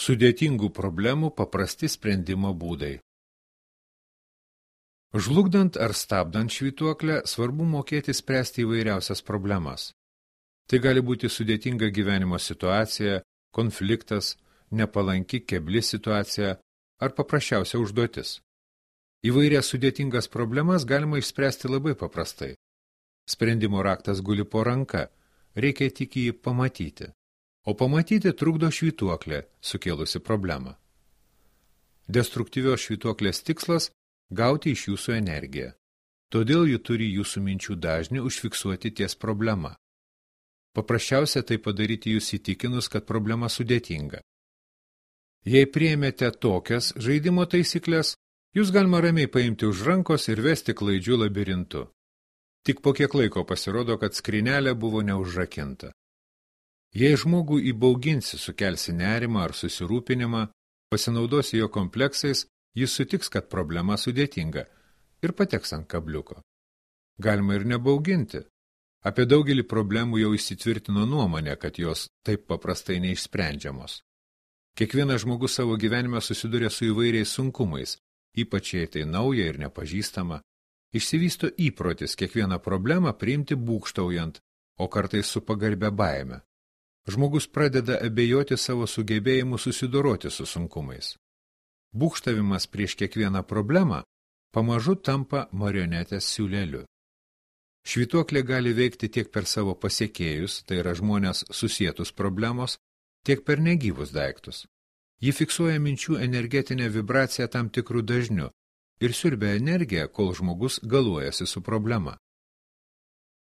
Sudėtingų problemų paprasti sprendimo būdai. Žlugdant ar stabdant švytuoklę, svarbu mokėti spręsti įvairiausias problemas. Tai gali būti sudėtinga gyvenimo situacija, konfliktas, nepalanki kebli situacija ar paprasčiausia užduotis. Įvairias sudėtingas problemas galima išspręsti labai paprastai. Sprendimo raktas guli po ranka, reikia tik jį pamatyti. O pamatyti trukdo švytuoklė, sukėlusi problemą. Destruktyvios švytuoklės tikslas – gauti iš jūsų energiją. Todėl ji turi jūsų minčių dažnį užfiksuoti ties problema. Paprasčiausia tai padaryti jūs įtikinus, kad problema sudėtinga. Jei priėmėte tokias žaidimo taisyklės, jūs galima ramiai paimti už rankos ir vesti klaidžių labirintu. Tik po kiek laiko pasirodo, kad skrynelė buvo neužrakinta. Jei žmogų įbauginsi, sukelsi nerimą ar susirūpinimą, pasinaudosi jo kompleksais, jis sutiks, kad problema sudėtinga ir pateks ant kabliuko. Galima ir nebauginti. Apie daugelį problemų jau įsitvirtino nuomonė, kad jos taip paprastai neišsprendžiamos. Kiekvienas žmogus savo gyvenime susiduria su įvairiais sunkumais, ypač jei tai nauja ir nepažįstama. Išsivysto įprotis kiekvieną problemą priimti būgštaujant, o kartais su pagarbia baime. Žmogus pradeda abejoti savo sugebėjimu susidoroti su sunkumais. Būgštavimas prieš kiekvieną problemą pamažu tampa marionetės siūleliu. Švytuoklė gali veikti tiek per savo pasiekėjus, tai yra žmonės susietus problemos, tiek per negyvus daiktus. Ji fiksuoja minčių energetinę vibraciją tam tikrų dažnių ir siurbia energiją, kol žmogus galuojasi su problema.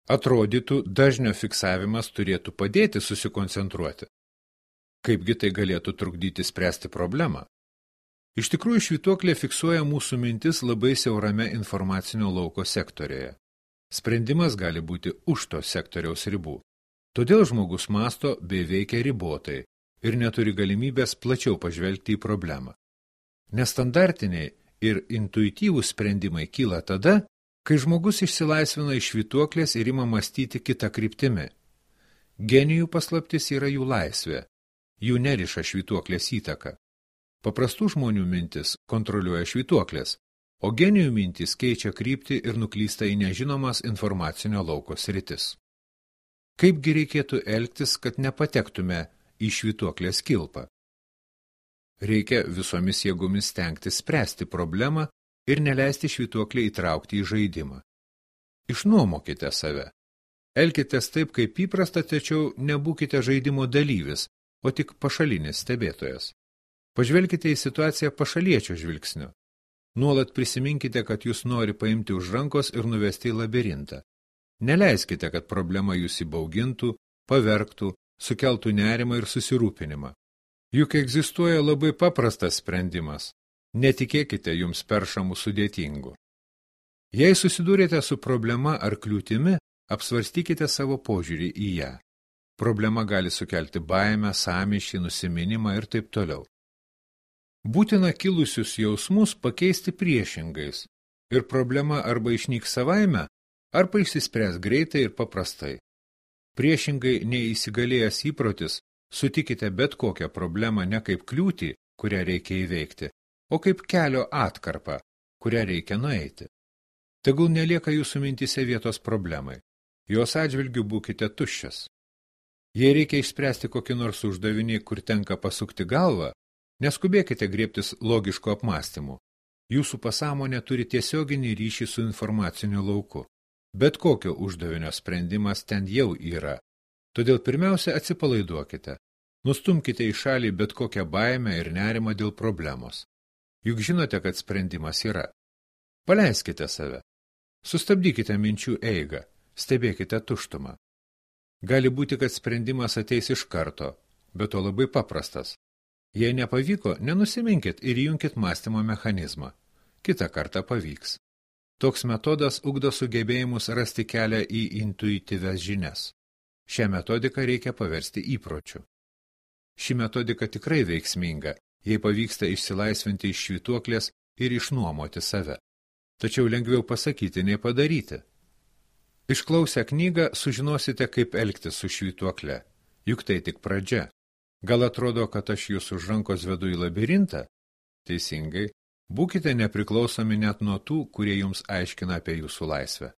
Atrodytų, dažnio fiksavimas turėtų padėti susikoncentruoti. Kaipgi tai galėtų trukdyti spręsti problemą? Iš tikrųjų, švytuoklė fiksuoja mūsų mintis labai siaurame informacinio lauko sektorėje. Sprendimas gali būti už to sektoriaus ribų. Todėl žmogus masto bei veikia ribotai ir neturi galimybės plačiau pažvelgti į problemą. Nestandartiniai ir intuityvūs sprendimai kyla tada, kai žmogus išsilaisvina iš švytuoklės ir ima mąstyti kitą kryptimi. Genijų paslaptis yra jų laisvė, jų neriša švytuoklės įtaka. Paprastų žmonių mintis kontroliuoja švytuoklės, o genijų mintis keičia kryptį ir nuklysta į nežinomas informacinio lauko sritis. Kaipgi reikėtų elgtis, kad nepatektume į švytuoklės kilpą? Reikia visomis jėgomis stengtis spręsti problemą ir neleisti švytuoklį įtraukti į žaidimą. Išnuomokite save. Elkitės taip, kaip įprasta, tačiau nebūkite žaidimo dalyvis, o tik pašalinis stebėtojas. Pažvelkite į situaciją pašaliečio žvilgsniu. Nuolat prisiminkite, kad jūs nori paimti už rankos ir nuvesti į labirintą. Neleiskite, kad problema jūs įbaugintų, pavergtų, sukeltų nerimą ir susirūpinimą. Juk egzistuoja labai paprastas sprendimas. Netikėkite jums peršamų sudėtingų. Jei susidūrėte su problema ar kliūtimi, apsvarstykite savo požiūrį į ją. Problema gali sukelti baimę, sąmyšį, nusiminimą ir taip toliau. Būtina kilusius jausmus pakeisti priešingais ir problema arba išnyks savaime, arba išsispręs greitai ir paprastai. Priešingai neįsigalėjęs įprotis, sutikite bet kokią problemą ne kaip kliūtį, kurią reikia įveikti, o kaip kelio atkarpą, kurią reikia nueiti. Tegul nelieka jūsų mintise vietos problemai. Jos atžvilgiu būkite tuščias. Jei reikia išspręsti kokį nors uždavinį, kur tenka pasukti galvą, neskubėkite griebtis logiško apmąstymu. Jūsų pasąmonė turi tiesioginį ryšį su informaciniu lauku. Bet kokio uždavinio sprendimas ten jau yra. Todėl pirmiausia atsipalaiduokite. Nustumkite į šalį bet kokią baimę ir nerimą dėl problemos. Juk žinote, kad sprendimas yra. Paleiskite save. Sustabdykite minčių eigą. Stebėkite tuštumą. Gali būti, kad sprendimas ateis iš karto, bet to labai paprastas. Jei nepavyko, nenusiminkit ir įjunkit mąstymo mechanizmą. Kitą kartą pavyks. Toks metodas ugdo sugebėjimus rasti kelią į intuityvias žinias. Šią metodiką reikia paversti įpročiu. Ši metodika tikrai veiksminga, jei pavyksta išsilaisvinti iš švytuoklės ir išnuomoti save. Tačiau lengviau pasakyti nei padaryti. Išklausę knygą sužinosite, kaip elgtis su švytuokle, juk tai tik pradžia. Gal atrodo, kad aš jūs už rankos vedu į labirintą? Teisingai, būkite nepriklausomi net nuo tų, kurie jums aiškina apie jūsų laisvę.